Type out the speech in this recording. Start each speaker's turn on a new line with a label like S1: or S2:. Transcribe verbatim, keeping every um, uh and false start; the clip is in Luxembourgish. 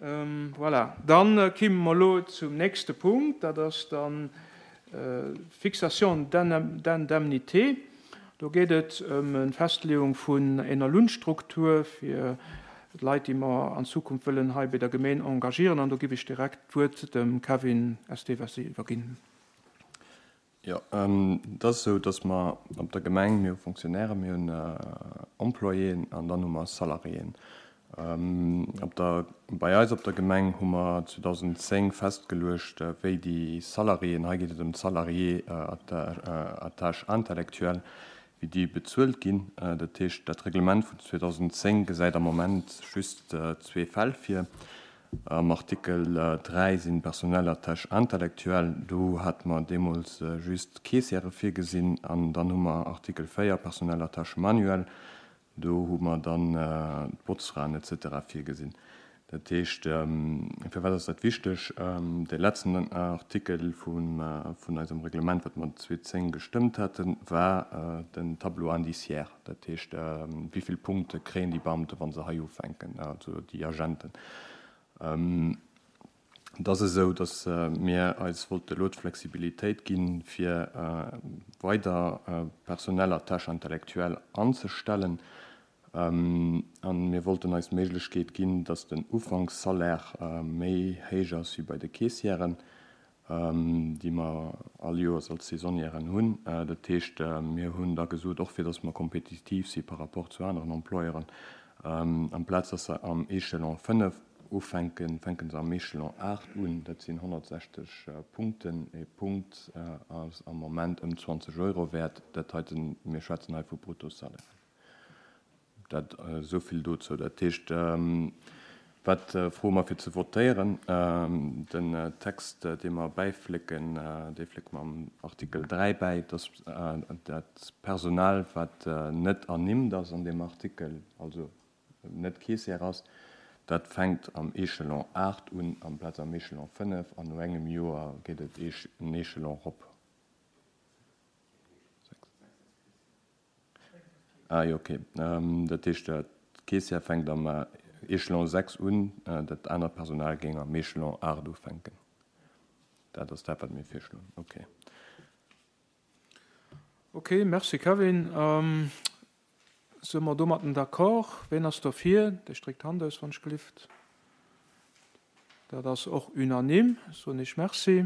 S1: Voilà, dann kimme mer elo zum nächste Punkt, dat ass dann d'Fixation d'indemnités. Do geet et ëm eng Festleeung vun enger Lounstruktur fir d'Leit, déi mer an Zukunft wëllen hei bei der Gemeen engagieren. An do giff ech direkt d'Wuert dem Kevin Esteves iwwerginn.
S2: Jo, et ass esou, datt mer op der Gemeng, mir hu Fonctionnairen, mir hunn Employéen an dann hu mer Salariéen. Op der, bei eis op der Gemeng hu mer zweedausendzéng festgeluecht, wéi déi Salariéen, hei geet et ëm d'Salariés à tâche intellectuelle, wéi déi bezuelt ginn. Dat heescht, dat Reglement vun zweedausendzéng gesäit am Moment just zwee Fäll vir. Am Artikel dräi sinn d'Personnel à tâche intellectuelle, do hate mer deemools just d'Caissièrë virgesinn. An dann hu mer Artikel véier, Personnel à tâche manuelle, do hu mer dann d'Botzfraen et cetera virgesinn. Dat heescht, firwat ass dat wichteg? Dee letzten Artikel vun eisem Reglement, wat mer zweetausendzéng gestëmmt haten, war den Tableau indiciaire. Dat heescht, wéi vill Punkte kréien déi Beamte, wa se hei ufänken, also déi Agenten. Et ass esou, datt mir eis wollte elo d'Flexibilitéit ginn, fir weider Personnel à tâche intellectuelle anzestellen. A mir wollten eis d'Méiglechkeet ginn, datt den Ufankssalaire méi héich ass wéi bei de Caissièren, déi mer all Joers als Saisonnièren hunn. Dat heescht, mir hunn da gesot, och fir datt mer kompetitiv si par rapport zu aneren Employeuren, amplaz datt se am Échelon fënnef ufänken, fänke se am Échelon aacht un. Dat sinn honnertsechzeg Punkten. E Punkt ass am Moment ëm zwanzeg Euro wäert. Dat heiten, mir schwätzen hei vu Bruttosalairen. Dat esou vill dozou. Dat heescht, wat froe mer fir ze votéieren? Den Text, dee mer bäiflécken, dee flécke mer am Artikel dräi bäi, dass dat Personal, wat net ernimmt ass an deem Artikel, also net Caissière ass, dat fänkt am Échelon aacht un amplaz am Échelon fënnef an no engem Joer geet et en Échelon erop. Ah jo, okay. Dat heescht, d'Caissière fänkt am Échelon sechs un, dat anert Personal géing am Échelon aacht ufänken. Dat ass dat, wat mir virschloen. Okay.
S1: Okay, merci Kevin. Si mer domatten d'accord? Ween ass dofir? Dee stréckt d'Hand aus, wann ech gelift. Dat ass och unanime. Soen ech Merci.